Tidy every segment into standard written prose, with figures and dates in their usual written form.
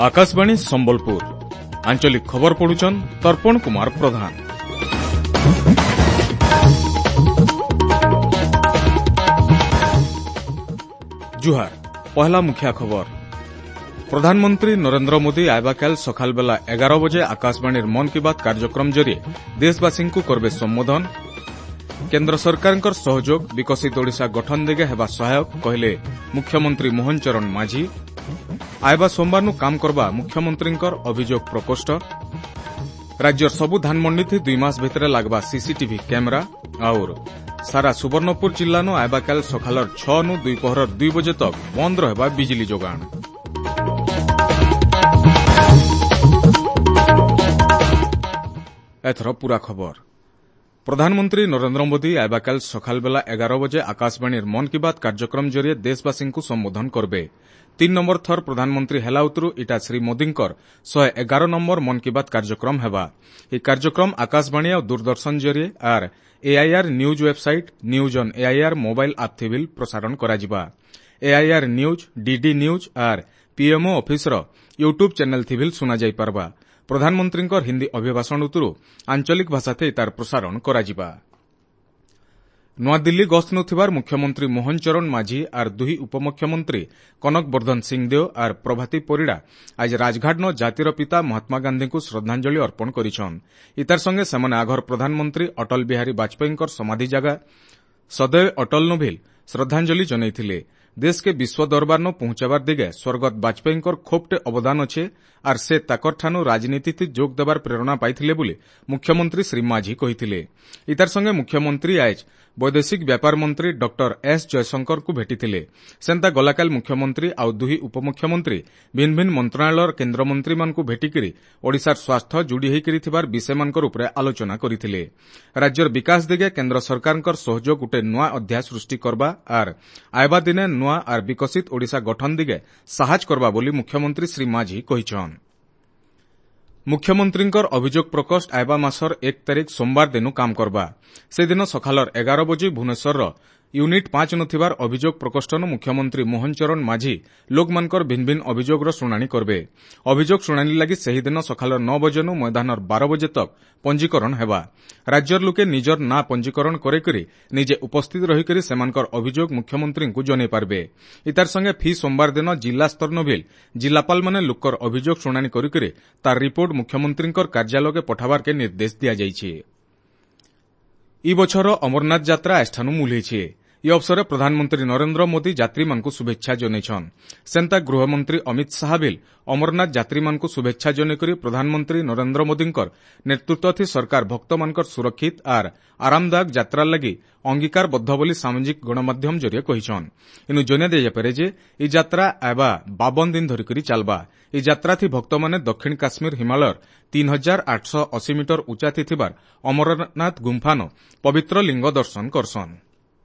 ଆକାଶବାଣୀ ସମ୍ବଲପୁର ଆଞ୍ଚଳିକ ଖବର ପଢୁଛନ୍ ତର୍ପଣ କୁମାର ପ୍ରଧାନ। ଜୁହାର, ପହଲା ମୁଖିଆ ଖବର। ପ୍ରଧାନମନ୍ତ୍ରୀ ନରେନ୍ଦ୍ର ମୋଦି ଆଇବାକାଲ ସକାଳବେଲା 11 ବଜେ ଆକାଶବାଣୀର ମନ୍ କି ବାତ୍ କାର୍ଯ୍ୟକ୍ରମ ଜରିଏ ଦେଶବାସୀଙ୍କୁ କରବେ ସମ୍ବୋଧନ। କେନ୍ଦ୍ର ସରକାରଙ୍କର ସହଯୋଗ ବିକଶିତ ଓଡ଼ିଶା ଗଠନ ଦିଗେ ହେବା ସହାୟକ କହିଲେ ମୁଖ୍ୟମନ୍ତ୍ରୀ ମୋହନ ଚରଣ ମାଝୀ। ଆଇବା ସୋମବାରନୁ କାମ କରବା ମୁଖ୍ୟମନ୍ତ୍ରୀଙ୍କର ଅଭିଯୋଗ ପ୍ରକୋଷ୍ଠ। ରାଜ୍ୟର ସବୁ ଧାନମଣ୍ଡିଥି 2 ମାସ ଭିତରେ ଲାଗବା ସିସିଟିଭି କ୍ୟାମେରା। ଆଉର ସାରା ସୁବର୍ଣ୍ଣପୁର ଜିଲ୍ଲାନୁ ଆଇବାକାଲ ସକାଳର 6 ନୁ ଦ୍ୱିପହରର 2 ବଜେ ତକ ବନ୍ଦ ରହିବା ବିଜୁଳି ଯୋଗାଣ। ଏଥର ପୁରା ଖବର। ପ୍ରଧାନମନ୍ତ୍ରୀ ନରେନ୍ଦ୍ର ମୋଦି ଆଇବାକାଲ ସକାଳବେଲା 11 ବଜେ ଆକାଶବାଣୀର ମନ୍ କି ବାତ୍ କାର୍ଯ୍ୟକ୍ରମ ଜରିଏ ଦେଶବାସୀଙ୍କୁ ସମ୍ବୋଧନ କରବେ। 3 ନମ୍ବର ଥର ପ୍ରଧାନମନ୍ତ୍ରୀ ହେଲା ଉତରୁ ଇଟା ଶ୍ରୀ ମୋଦିଙ୍କର 111 ନମ୍ବର ମନ୍ କି ବାତ୍ କାର୍ଯ୍ୟକ୍ରମ ହେବା। ଏହି କାର୍ଯ୍ୟକ୍ରମ ଆକାଶବାଣୀ ଆଉ ଦୂରଦର୍ଶନ ଜରିଏ ଆର୍ AIR news website, news on AIR mobile app ଥିବିଲ୍ ପ୍ରସାରଣ କରାଯିବା। ଏଆଇଆର୍ ନ୍ୟୁଜ୍, ଡିଡି ନ୍ୟୁଜ୍ ଆର୍ ପିଏମ୍ଓ ଅଫିସର ୟୁଟ୍ୟୁବ୍ ଚ୍ୟାନେଲ୍ ଥିବିଲ୍ ଶୁଣାଯାଇପାରବା। ପ୍ରଧାନମନ୍ତ୍ରୀଙ୍କର ହିନ୍ଦୀ ଅଭିଭାଷଣ ଉତରୁ ଆଞ୍ଚଳିକ ଭାଷାଥେ ତାର ପ୍ରସାରଣ କରାଯିବା। ନୂଆଦିଲ୍ଲୀ ଗସ୍ତ ନଥିବାର ମୁଖ୍ୟମନ୍ତ୍ରୀ ମୋହନ ଚରଣ ମାଝୀ ଆର୍ ଦୁଇ ଉପମୁଖ୍ୟମନ୍ତ୍ରୀ କନକ ବର୍ଦ୍ଧନ ସିଂଦେଓ ଆର୍ ପ୍ରଭାତୀ ପରିଡ଼ା ଆଜି ରାଜଘାଟନ ଜାତିର ପିତା ମହାତ୍ମା ଗାନ୍ଧୀଙ୍କୁ ଶ୍ରଦ୍ଧାଞ୍ଜଳି ଅର୍ପଣ କରିଛନ୍। ଇତାର ସଙ୍ଗେ ସେମାନେ ଆଘର ପ୍ରଧାନମନ୍ତ୍ରୀ ଅଟଳ ବିହାରୀ ବାଜପେୟୀଙ୍କର ସମାଧି ଜାଗା ସଦୈବ ଅଟଳ ନୋଭିଲ ଶ୍ରଦ୍ଧାଞ୍ଜଳି ଜଣାଇଥିଲେ। ଦେଶକେ ବିଶ୍ୱ ଦରବାରନ ପହଞ୍ଚାବାର ଦିଗେ ସ୍ୱର୍ଗତ ବାଜପେୟୀଙ୍କର ଖୋବଟେ ଅବଦାନ ଅଛେ ଆର୍ ସେ ତାକରଠାନୁ ରାଜନୀତିଥି ଯୋଗ ଦେବାର ପ୍ରେରଣା ପାଇଥିଲେ ବୋଲି ମୁଖ୍ୟମନ୍ତ୍ରୀ ଶ୍ରୀ ମାଝୀ କହିଥିଲେ। ଇତାର ସଙ୍ଗେ ମୁଖ୍ୟମନ୍ତ୍ରୀ ଆଏଜ ବୈଦେଶିକ ବ୍ୟାପାର ମନ୍ତ୍ରୀ ଡକ୍ଟର ଏସ୍ ଜୟଶଙ୍କରଙ୍କୁ ଭେଟିଥିଲେ। ସେନ୍ତା ଗଲାକାଲ ମୁଖ୍ୟମନ୍ତ୍ରୀ ଆଉ ଦୁଇ ଉପମୁଖ୍ୟମନ୍ତ୍ରୀ ଭିନ୍ନ ଭିନ୍ନ ମନ୍ତ୍ରଣାଳୟର କେନ୍ଦ୍ରମନ୍ତ୍ରୀମାନଙ୍କୁ ଭେଟିକରି ଓଡ଼ିଶାର ସ୍ୱାର୍ଥ ଯୋଡ଼ି ହୋଇକରି ଥିବାର ବିଷୟମାନଙ୍କର ଉପରେ ଆଲୋଚନା କରିଥିଲେ। ରାଜ୍ୟର ବିକାଶ ଦିଗେ କେନ୍ଦ୍ର ସରକାରଙ୍କର ସହଯୋଗ ଗୋଟେ ନୂଆ ଅଧ୍ୟାୟ ସୃଷ୍ଟି କରବା ଆର୍ ଆଇବା ଦିନେ ନୂଆ ଆର୍ ବିକଶିତ ଓଡ଼ିଶା ଗଠନ ଦିଗେ ସାହାଯ୍ୟ କରବା ବୋଲି ମୁଖ୍ୟମନ୍ତ୍ରୀ ଶ୍ରୀ ମାଝୀ କହିଛନ୍। ମୁଖ୍ୟମନ୍ତ୍ରୀଙ୍କର ଅଭିଯୋଗ ପ୍ରକୋଷ୍ଠ ଆଇବା ମାସର 1 ତାରିଖ ସୋମବାର ଦିନୁ କାମ କରବା। ସେଦିନ ସକାଳର 11 ବଜେ ଭୁବନେଶ୍ୱରର ୟୁନିଟ୍ 5 ନଥିବାର ଅଭିଯୋଗ ପ୍ରକୋଷ୍ଠନୁ ମୁଖ୍ୟମନ୍ତ୍ରୀ ମୋହନ ଚରଣ ମାଝୀ ଲୋକମାନଙ୍କର ଭିନ୍ନ ଭିନ୍ନ ଅଭିଯୋଗର ଶୁଣାଣି କରବେ। ଅଭିଯୋଗ ଶୁଣାଣି ଲାଗି ସେହିଦିନ ସକାଳ 9 ବଜେନୁ ମଇଦାନର 12 ବଜେ ତକ ପଞ୍ଜୀକରଣ ହେବା। ରାଜ୍ୟର ଲୋକେ ନିଜର ନାଁ ପଞ୍ଜୀକରଣ କରେଇକରି ନିଜେ ଉପସ୍ଥିତ ରହିକରି ସେମାନଙ୍କର ଅଭିଯୋଗ ମୁଖ୍ୟମନ୍ତ୍ରୀଙ୍କୁ ଜଣାଇ ପାରବେ। ଇତାର ସଙ୍ଗେ ଫି ସୋମବାର ଦିନ ଜିଲ୍ଲା ସ୍ତର ନଭିଲ ଜିଲ୍ଲାପାଳମାନେ ଲୋକର ଅଭିଯୋଗ ଶୁଣାଣି କରିକରି ତାର ରିପୋର୍ଟ ମୁଖ୍ୟମନ୍ତ୍ରୀଙ୍କର କାର୍ଯ୍ୟାଳୟକେ ପଠାବାରକେ ନିର୍ଦ୍ଦେଶ ଦିଆଯାଇଛି। ଇ ବଛର ଅମରନାଥ ଯାତ୍ରା ଆଜଠାନୁ ମୂଲ ହେଇଛେ। ଇ ଅବସରରେ ପ୍ରଧାନମନ୍ତ୍ରୀ ନରେନ୍ଦ୍ର ମୋଦି ଯାତ୍ରୀମାନଙ୍କୁ ଶୁଭେଚ୍ଛା ଜଣାଇଛନ୍। ସେନ୍ତା ଗୃହମନ୍ତ୍ରୀ ଅମିତ ଶାହା ବିଲ୍ ଅମରନାଥ ଯାତ୍ରୀମାନଙ୍କୁ ଶୁଭେଚ୍ଛା ଜଣାଇକରି ପ୍ରଧାନମନ୍ତ୍ରୀ ନରେନ୍ଦ୍ର ମୋଦିଙ୍କର ନେତୃତ୍ୱଥି ସରକାର ଭକ୍ତମାନଙ୍କର ସୁରକ୍ଷିତ ଆର୍ ଆରାମଦାୟକ ଯାତ୍ରା ଲାଗି ଅଙ୍ଗୀକାରବଦ୍ଧ ବୋଲି ସାମାଜିକ ଗଣମାଧ୍ୟମ ଜରିଏ କହିଛନ୍। ଇନୁ ଜଣାଇ ଦିଆଯାଇପାରେ ଯେ ଇ ଯାତ୍ରା ଆଇବା 52 ଦିନ ଧରିକରି ଚାଲବା। ଇ ଯାତ୍ରାଥି ଭକ୍ତମାନେ ଦକ୍ଷିଣ କାଶ୍ମୀର ହିମାଳୟର 3880 ମିଟର ଉଚ୍ଚାଥି ଥିବାର ଅମରନାଥ ଗୁମ୍ଫାନ ପବିତ୍ର ଲିଙ୍ଗ ଦର୍ଶନ କରସନ୍।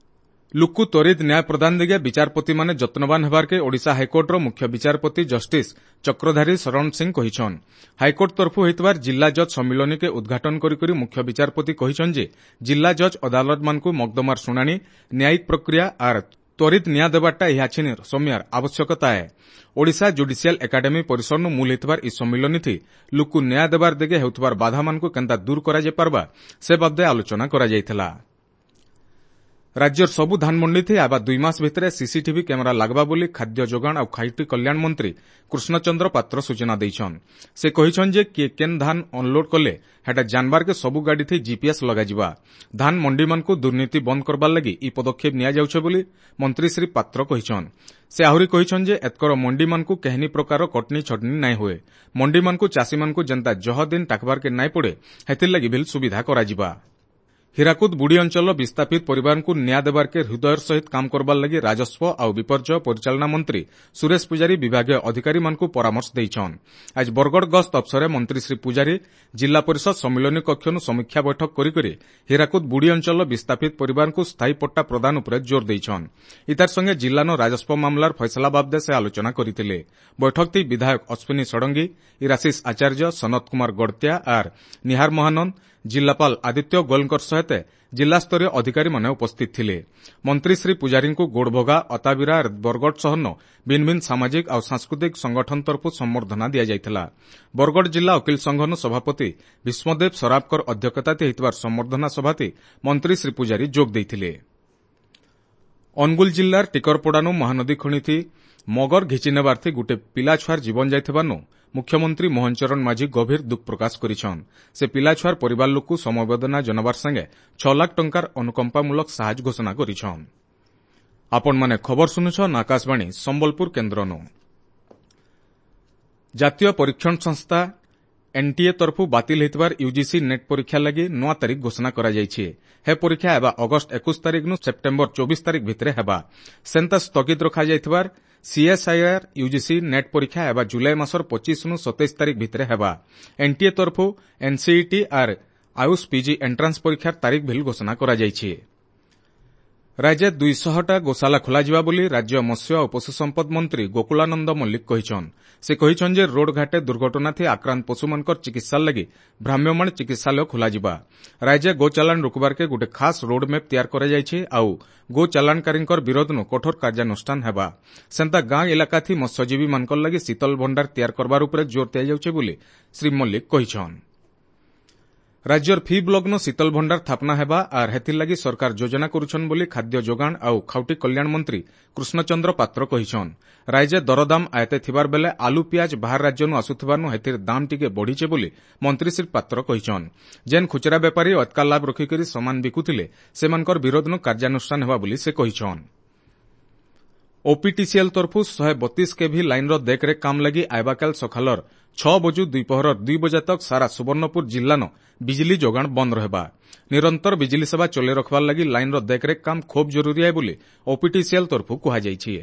ଲୁକୁ ତ୍ୱରିତ ନ୍ୟାୟ ପ୍ରଦାନ ଦିଗେ ବିଚାରପତିମାନେ ଯତ୍ନବାନ ହେବାର୍କେ ଓଡ଼ିଶା ହାଇକୋର୍ଟର ମୁଖ୍ୟ ବିଚାରପତି ଜଷ୍ଟିସ୍ ଚକ୍ରଧାରୀ ଶରଣ ସିଂ କହିଛନ୍। ହାଇକୋର୍ଟ ତରଫୁ ହୋଇଥିବାର ଜିଲ୍ଲା ଜଜ୍ ସମ୍ମିଳନୀକେ ଉଦ୍ଘାଟନ କରିକରି ମୁଖ୍ୟ ବିଚାରପତି କହିଛନ୍ ଯେ ଜିଲ୍ଲା ଜଜ୍ ଅଦାଲତମାନଙ୍କୁ ମକଦ୍ଦମାର ଶୁଣାଣି, ନ୍ୟାୟିକ ପ୍ରକ୍ରିୟା ଆର୍ ତ୍ୱରିତ ନ୍ୟାୟ ଦେବାରଟା ଇହାଛିନ ସମୟର ଆବଶ୍ୟକତା ଏ। ଓଡ଼ିଶା ଜୁଡିସିଆଲ ଏକାଡେମୀ ପରିସରନୁ ମୂଲ ହେଇଥିବାର ଇ ସମ୍ମିଳନୀଥି ଲୁକୁ ନ୍ୟାୟ ଦେବାର ଦିଗେ ହେଉଥିବାର ବାଧାମାନଙ୍କୁ କେନ୍ତା ଦୂର କରାଯାଇପାରବା ସେ ବାବଦେ ଆଲୋଚନା କରାଯାଇଥିଲା। ରାଜ୍ୟର ସବୁ ଧାନମଣ୍ଡିଥି ଆଇବା 2 ମାସ ଭିତରେ ସିସିଟିଭି କ୍ୟାମେରା ଲାଗବା ବୋଲି ଖାଦ୍ୟ ଯୋଗାଣ ଆଉ ଖାଉଟି କଲ୍ୟାଣ ମନ୍ତ୍ରୀ କୃଷ୍ଣଚନ୍ଦ୍ର ପାତ୍ର ସୂଚନା ଦେଇଛନ୍। ସେ କହିଛନ୍ ଯେ କିଏ କେନ୍ ଧାନ ଅନଲୋଡ୍ କଲେ ହେଟା ଜାନବାରକେ ସବୁ ଗାଡ଼ିଥି ଜିପିଏସ୍ ଲଗାଯିବା। ଧାନ ମଣ୍ଡିମାନଙ୍କୁ ଦୁର୍ନୀତି ବନ୍ଦ କରବାର ଲାଗି ଇ ପଦକ୍ଷେପ ନିଆଯାଉଛେ ବୋଲି ମନ୍ତ୍ରୀ ଶ୍ରୀ ପାତ୍ର କହିଛନ୍। ସେ ଆହୁରି କହିଛନ୍ ଯେ ଏତକର ମଣ୍ଡିମାନଙ୍କୁ କେହିନି ପ୍ରକାର କଟନି ଛଟନି ନାଇଁ ହୁଏ। ମଣ୍ଡିମାନଙ୍କୁ ଚାଷୀମାନଙ୍କୁ ଯେନ୍ତା ଜହ ଦିନ ଟାକବାରକେ ନାଇଁ ପଡ଼େ ହେଥିର୍ଲାଗି ଭିଲ୍ ସୁବିଧା କରାଯିବା। ହୀରାକୁଦ ବୁଡ଼ି ଅଞ୍ଚଳର ବିସ୍ଥାପିତ ପରିବାରଙ୍କୁ ନ୍ୟାୟ ଦେବାର୍କେ ହୃଦୟର ସହିତ କାମ କରବାର ଲାଗି ରାଜସ୍ୱ ଆଉ ବିପର୍ଯ୍ୟୟ ପରିଚାଳନା ମନ୍ତ୍ରୀ ସୁରେଶ ପୂଜାରୀ ବିଭାଗୀୟ ଅଧିକାରୀମାନଙ୍କୁ ପରାମର୍ଶ ଦେଇଛନ୍। ଆଜି ବରଗଡ଼ ଗସ୍ତ ଅବସରରେ ମନ୍ତ୍ରୀ ଶ୍ରୀ ପୂଜାରୀ ଜିଲ୍ଲା ପରିଷଦ ସମ୍ମିଳନୀ କକ୍ଷନୁ ସମୀକ୍ଷା ବୈଠକ କରିକରି ହୀରାକୁଦ ବୁଡ଼ି ଅଞ୍ଚଳର ବିସ୍ଥାପିତ ପରିବାରଙ୍କୁ ସ୍ଥାୟୀ ପଟ୍ଟା ପ୍ରଦାନ ଉପରେ ଜୋର ଦେଇଛନ୍। ଇତାର ସଙ୍ଗେ ଜିଲ୍ଲାନ ରାଜସ୍ୱ ମାମଲାର ଫଇସଲା ବାବଦେ ସେ ଆଲୋଚନା କରିଥିଲେ। ବୈଠକଟି ବିଧାୟକ ଅଶ୍ୱିନୀ ଷଡ଼ଙ୍ଗୀ, ଇରାଶିଷ ଆଚାର୍ଯ୍ୟ, ସନତ କୁମାର ଗଡ଼ତିଆ ଆର୍ ନିହାର ମହାନନ୍ଦ, ଜିଲ୍ଲାପାଳ ଆଦିତ୍ୟ ଗୋଏଲଙ୍କ ସହିତ ଜିଲ୍ଲାସ୍ତରୀୟ ଅଧିକାରୀମାନେ ଉପସ୍ଥିତ ଥିଲେ। ମନ୍ତ୍ରୀ ଶ୍ରୀ ପୂଜାରୀଙ୍କୁ ଗୋଡ଼ଭଗା, ଅତାବିରା, ବରଗଡ଼ ସହରନ ଭିନ୍ନ ଭିନ୍ନ ସାମାଜିକ ଆଉ ସାଂସ୍କୃତିକ ସଂଗଠନ ତରଫରୁ ସମ୍ବର୍ଦ୍ଧନା ଦିଆଯାଇଥିଲା। ବରଗଡ଼ ଜିଲ୍ଲା ଓକିଲ ସଂଘନ ସଭାପତି ଭୀଷ୍ମଦେବ ସରାଫଙ୍କର ଅଧ୍ୟକ୍ଷତାରେ ହୋଇଥିବା ସମ୍ବର୍ଦ୍ଧନା ସଭାତି ମନ୍ତ୍ରୀ ଶ୍ରୀ ପୂଜାରୀ ଯୋଗ ଦେଇଥିଲେ। ଅନୁଗୁଳ ଜିଲ୍ଲାର ଟିକରପଡ଼ାନୁ ମହାନଦୀ ଖଣିଥି ମଗର ଘିଚି ନେବାର୍ଥି ଗୁଟେ ପିଲାଛୁଆର ଜୀବନ ଯାଇଥିବାନୁ ମୁଖ୍ୟମନ୍ତ୍ରୀ ମୋହନ ଚରଣ ମାଝୀ ଗଭୀର ଦୁଃଖ ପ୍ରକାଶ କରିଛନ୍। ସେ ପିଲାଛୁଆର ପରିବାର ଲୋକକୁ ସମବେଦନା ଜଣାବାର ସାଙ୍ଗେ 6 ଲାଖ ଟଙ୍କାର ଅନୁକମ୍ପାମୂଳକ ସାହାଯ୍ୟ ଘୋଷଣା କରିଛନ୍। ଆପଣମାନେ ଖବର ଶୁଣୁଛନ୍ ଆକାଶବାଣୀ ସମ୍ବଲପୁର କେନ୍ଦ୍ରନୁ। ଜାତୀୟ ପରୀକ୍ଷଣ ସଂସ୍ଥା ଏନ୍ଟିଏ ତରଫରୁ ବାତିଲ ହୋଇଥିବାର ୟୁଜିସି ନେଟ୍ ପରୀକ୍ଷା ଲାଗି ନୂଆ ତାରିଖ ଘୋଷଣା କରାଯାଇଛି। ହେ ପରୀକ୍ଷା ହେବା ଅଗଷ୍ଟ 21 ତାରିଖରୁ ସେପ୍ଟେମ୍ବର 24 ତାରିଖ ଭିତରେ ହେବା। ସେନ୍ତା ସ୍ଥଗିତ ରଖାଯାଇଥିବାର ସିଏସ୍ଆଇଆର୍ ୟୁଜିସି ନେଟ୍ ପରୀକ୍ଷା ହେବା ଜୁଲାଇ ମାସର 25ରୁ 27 ତାରିଖ ଭିତରେ ହେବା। ଏନ୍ଟିଏ ତରଫରୁ ଏନ୍ସିଇଟି ଆର୍ ଆୟୁଷ ପିଜି ଏଣ୍ଟ୍ରାନ୍ସ ପରୀକ୍ଷାର ତାରିଖ ଭିଲ୍ ଘୋଷଣା କରାଯାଇଛି। ରାଜ୍ୟ 200ଟା ଗୋଶାଲା ଖୋଲାଯିବା ବୋଲି ରାଜ୍ୟ ମତ୍ସ୍ୟ ଓ ପଶୁ ସମ୍ପଦ ମନ୍ତ୍ରୀ ଗୋକୁଳାନନ୍ଦ ମଲ୍ଲିକ କହିଛନ୍। ସେ କହିଛନ୍ ଯେ ରୋଡଘାଟେ ଦୁର୍ଘଟଣାଥି ଆକ୍ରାନ୍ତ ପଶୁମାନଙ୍କର ଚିକିତ୍ସା ଲାଗି ଭ୍ରାମ୍ୟମାଣ ଚିକିତ୍ସାଳୟ ଖୋଲାଯିବା। ରାଜ୍ୟ ଗୋ ଚାଲାଣ ରୋକବାର୍କେ ଗୋଟେ ଖାସ୍ ରୋଡ ମ୍ୟାପ୍ ତିଆର କରାଯାଇଛି ଆଉ ଗୋ ଚାଲାଣକାରୀଙ୍କର ବିରୋଧନୁ କଠୋର କାର୍ଯ୍ୟାନୁଷ୍ଠାନ ହେବା। ସେନ୍ତା ଗାଁ ଇଲାକାଥି ମତ୍ସ୍ୟଜୀବୀମାନଙ୍କର ଲାଗି ଶୀତଳ ଭଣ୍ଡାର ତିଆର କରବାର ଉପରେ ଜୋର ଦିଆଯାଉଛି ବୋଲି ଶ୍ରୀ ମଲ୍ଲିକ କହିଛନ୍। ରାଜ୍ୟର ଫି ବ୍ଲକ୍ନୁ ଶୀତଳ ଭଣ୍ଡାର ସ୍ଥାପନା ହେବା ଆର୍ ହେଥିର୍ଲାଗି ସରକାର ଯୋଜନା କରୁଛନ୍ ବୋଲି ଖାଦ୍ୟ ଯୋଗାଣ ଆଉ ଖାଉଟି କଲ୍ୟାଣ ମନ୍ତ୍ରୀ କୃଷ୍ଣଚନ୍ଦ୍ର ପାତ୍ର କହିଛନ୍। ରାଜ୍ୟ ଦରଦାମ ଆୟତେ ଥିବାର ବେଲେ ଆଲୁ ପିଆଜ ବାହାର ରାଜ୍ୟନୁ ଆସୁଥିବାରୁ ହେଥିର୍ ଦାମ ଟିକେ ବଢ଼ିଛେ ବୋଲି ମନ୍ତ୍ରୀ ଶ୍ରୀ ପାତ୍ର କହିଛନ୍। ଯେନ୍ ଖୁଚୁରା ବେପାରୀ ଅତ୍କା ଲାଭ ରଖିକରି ସମାନ ବିକୁଥିଲେ ସେମାନଙ୍କର ବିରୋଧନୁ କାର୍ଯ୍ୟାନୁଷ୍ଠାନ ହେବା ବୋଲି ସେ କହିଛନ୍। ଓପିଟିସିଏଲ୍ ତରଫରୁ 132 କେଭି ଲାଇନ୍ର ଦେଖରେଖ କାମ ଲାଗି ଆଇବାକାଲ ସକାଳର 6 ବଜୁ ଦ୍ୱିପହର 2 ବଜେ ତକ୍ ସାରା ସୁବର୍ଣ୍ଣପୁର ଜିଲ୍ଲାନ ବିଜଲି ଯୋଗାଣ ବନ୍ଦ ରହିବା। ନିରନ୍ତର ବିଜଲି ସେବା ଚଲେଇ ରଖବାର ଲାଗି ଲାଇନ୍ର ଦେଖରେଖ କାମ ଖୁବ୍ ଜରୁରୀ ଆଏ ବୋଲି ଓପିଟିସିଏଲ୍ ତରଫରୁ କୁହାଯାଇଛି।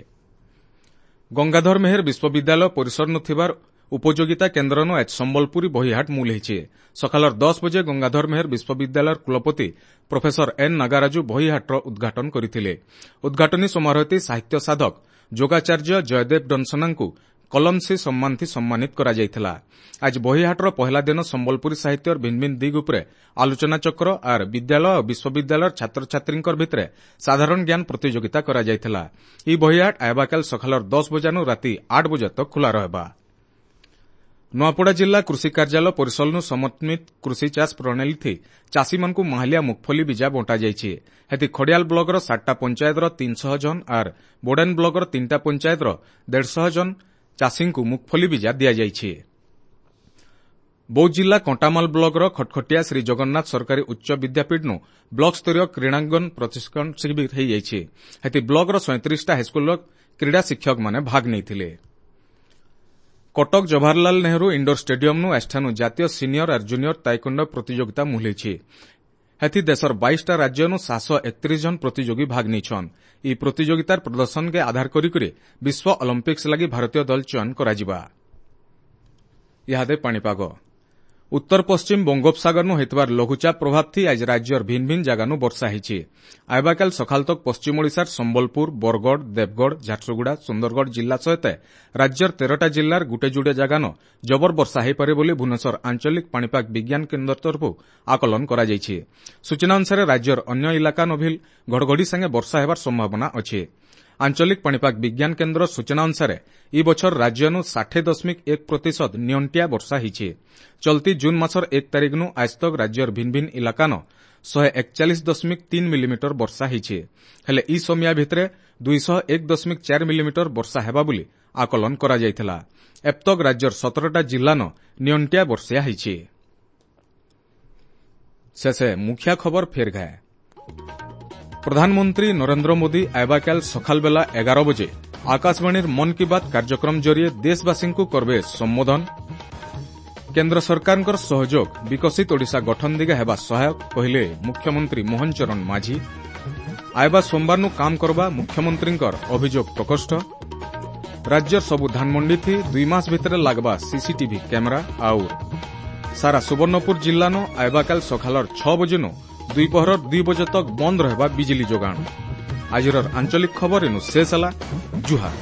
ଗଙ୍ଗାଧର ମେହେର ବିଶ୍ୱବିଦ୍ୟାଳୟ ପରିସରନୁ ଥିବାର ଉପଯୋଗିତା କେନ୍ଦ୍ରନୁ ଆଜ ସମ୍ବଲପୁରୀ ବହିହାଟ ମୂଲ ହେଇଛି। ସକାଳର 10 ବଜେ ଗଙ୍ଗାଧର ମେହେର ବିଶ୍ୱବିଦ୍ୟାଳୟର କୁଳପତି ପ୍ରଫେସର ଏନ୍ ନାଗାରାଜୁ ବହିହାଟର ଉଦ୍ଘାଟନ କରିଥିଲେ। ଉଦ୍ଘାଟନୀ ସମାରୋହଟି ସାହିତ୍ୟ ସାଧକ ଯୋଗାଚାର୍ଯ୍ୟ ଜୟଦେବ ଡନସନାଙ୍କୁ କଲମଶ୍ରୀ ସମ୍ମାନଥି ସମ୍ମାନିତ କରାଯାଇଥିଲା। ଆଜି ବହିହାଟର ପହିଲା ଦିନ ସମ୍ବଲପୁରୀ ସାହିତ୍ୟର ଭିନ୍ନ ଭିନ୍ନ ଦିଗ ଉପରେ ଆଲୋଚନାଚକ୍ର ଆର୍ ବିଦ୍ୟାଳୟ ଓ ବିଶ୍ୱବିଦ୍ୟାଳୟର ଛାତ୍ରଛାତ୍ରୀଙ୍କ ଭିତରେ ସାଧାରଣ ଜ୍ଞାନ ପ୍ରତିଯୋଗିତା କରାଯାଇଥିଲା। ଏହି ବହିହାଟ ଆଇବାକାଲ ସକାଳର 10 ବଜାନୁ ରାତି 8 ବଜେ ତକ୍ ଖୋଲା ରହିବା। ନୂଆପଡ଼ା ଜିଲ୍ଲା କୃଷି କାର୍ଯ୍ୟାଳୟ ପରିସରନୁ ସମନ୍ୱିତ କୃଷି ଚାଷ ପ୍ରଣାଳୀଥି ଚାଷୀମାନଙ୍କୁ ମାହାଲିଆ ମୁଗଫଲି ବୀଜା ବଣ୍ଟାଯାଇଛି। ହେଥି ଖଡ଼ିଆଲ ବ୍ଲକର 7ଟା ପଞ୍ଚାୟତର 300 ଜଣ ଆର୍ ବୋଡେନ ବ୍ଲକର 3ଟା ପଞ୍ଚାୟତର 150 ଜଣ ଚାଷୀଙ୍କୁ ମୁଗଫଲି ବୀଜା ଦିଆଯାଇଛି। ବୌଦ୍ଧ ଜିଲ୍ଲା କଣ୍ଟାମାଲ ବ୍ଲକର ଖଟଖଟିଆ ଶ୍ରୀ ଜଗନ୍ନାଥ ସରକାରୀ ଉଚ୍ଚ ବିଦ୍ୟାପୀଠନୁ ବ୍ଲକ ସ୍ତରୀୟ କ୍ରୀଡ଼ାଙ୍ଗନ ପ୍ରଶିକ୍ଷଣ ଶିବିର ହୋଇଯାଇଛି। ହେଥି ବ୍ଲକର 37ଟା ହାଇସ୍କୁଲର କ୍ରୀଡ଼ା ଶିକ୍ଷକମାନେ ଭାଗ ନେଇଥିଲେ। କଟକ ଜବାହରଲାଲ ନେହେରୁ ଇଣ୍ଡୋର ଷ୍ଟାଡିୟମନୁ ଆଜିଠାନୁ ଜାତୀୟ ସିନିୟର ଆର୍ ଜୁନିୟର ତାଇକୋଣ୍ଡୋ ପ୍ରତିଯୋଗିତା ମୁହ୍ଲେଇଛି। ହେଥି ଦେଶର 22ଟା ରାଜ୍ୟନୁ 731 ଜଣ ପ୍ରତିଯୋଗୀ ଭାଗ ନେଇଛନ୍। ଏହି ପ୍ରତିଯୋଗିତାର ପ୍ରଦର୍ଶନକେ ଆଧାର କରିକରି ବିଶ୍ୱ ଅଲିମ୍ପିକ୍ସ ଲାଗି ଭାରତୀୟ ଦଳ ଚୟନ କରାଯିବା। ଇହାଦେ ପାଣିପାଗ। ଉତ୍ତର ପଶ୍ଚିମ ବଙ୍ଗୋପସାଗରନୁ ହୋଇଥିବାର ଲଘୁଚାପ ପ୍ରଭାବଥି ଆଜି ରାଜ୍ୟର ଭିନ୍ନ ଭିନ୍ନ ଜାଗାନୁ ବର୍ଷା ହେଇଛି। ଆଇବାକାଲ ସକାଳ ତକ୍ ପଶ୍ଚିମ ଓଡ଼ିଶାର ସମ୍ବଲପୁର, ବରଗଡ଼, ଦେବଗଡ଼, ଝାରସୁଗୁଡ଼ା, ସୁନ୍ଦରଗଡ଼ ଜିଲ୍ଲା ସହିତ ରାଜ୍ୟର 13ଟା ଜିଲ୍ଲାର ଗୁଟେ ଯୁଡ଼େ ଜାଗାନ ଜବର ବର୍ଷା ହୋଇପାରେ ବୋଲି ଭୁବନେଶ୍ୱର ଆଞ୍ଚଳିକ ପାଣିପାଗ ବିଜ୍ଞାନ କେନ୍ଦ୍ର ତରଫରୁ ଆକଳନ କରାଯାଇଛି। ସୂଚନା ଅନୁସାରେ ରାଜ୍ୟର ଅନ୍ୟ ଇଲାକା ନଭିଲ ଘଡ଼ଘଡ଼ି ସାଙ୍ଗେ ବର୍ଷା ହେବାର ସମ୍ଭାବନା ଅଛି। ଆଞ୍ଚଳିକ ପାଣିପାଗ ବିଜ୍ଞାନ କେନ୍ଦ୍ର ସୂଚନା ଅନୁସାରେ ଇ ବଛର ରାଜ୍ୟନୁ 60.1% ନିଅଣ୍ଟିଆ ବର୍ଷା ହେଇଛି। ଚଲତି ଜୁନ୍ ମାସର 1 ତାରିଖନୁ ଆଜ ତକ୍ ରାଜ୍ୟର ଭିନ୍ନ ଭିନ୍ନ ଇଲାକାନ 141.3 ମିଲିମିଟର ବର୍ଷା ହେଇଛି। ହେଲେ ଇ ସମିଆ ଭିତରେ 201.4 ମିଲିମିଟର ବର୍ଷା ହେବା ବୋଲି ଆକଳନ କରାଯାଇଥିଲା। ଏପ୍ତକ୍ ରାଜ୍ୟର 17ଟା ଜିଲ୍ଲାନ ନିଅଣ୍ଟିଆ ବର୍ଷା ହେଇଛି। ଶେଷେ ମୁଖିଆ ଖବର ଫେର ଘାଏ। ପ୍ରଧାନମନ୍ତ୍ରୀ ନରେନ୍ଦ୍ର ମୋଦି ଆଇବାକାଲ ସକାଳବେଲା 11 ବଜେ ଆକାଶବାଣୀର ମନ୍ କି ବାତ୍ କାର୍ଯ୍ୟକ୍ରମ ଜରିଏ ଦେଶବାସୀଙ୍କୁ କରବେ ସମ୍ବୋଧନ। କେନ୍ଦ୍ର ସରକାରଙ୍କର ସହଯୋଗ ବିକଶିତ ଓଡ଼ିଶା ଗଠନ ଦିଗେ ହେବା ସହାୟକ କହିଲେ ମୁଖ୍ୟମନ୍ତ୍ରୀ ମୋହନ ଚରଣ ମାଝୀ। ଆଇବା ସୋମବାରନୁ କାମ କରବା ମୁଖ୍ୟମନ୍ତ୍ରୀଙ୍କର ଅଭିଯୋଗ ପ୍ରକୋଷ୍ଠ। ରାଜ୍ୟର ସବୁ ଧାନମଣ୍ଡିଥି 2 ମାସ ଭିତରେ ଲାଗବା ସିସିଟିଭି କ୍ୟାମେରା। ଆଉ ସାରା ସୁବର୍ଣ୍ଣପୁର ଜିଲ୍ଲାନୁ ଆଇବାକାଲ ସକାଳର 6 ବଜେନୁ ଦ୍ୱିପହର 2 ବଜେ ତକ୍ ବନ୍ଦ ରହିବା ବିଜଲି ଯୋଗାଣ। ଆଜିର ଆଞ୍ଚଳିକ ଖବର ଏନୁ ଶେଷ ହେଲା। ଜୁହାର।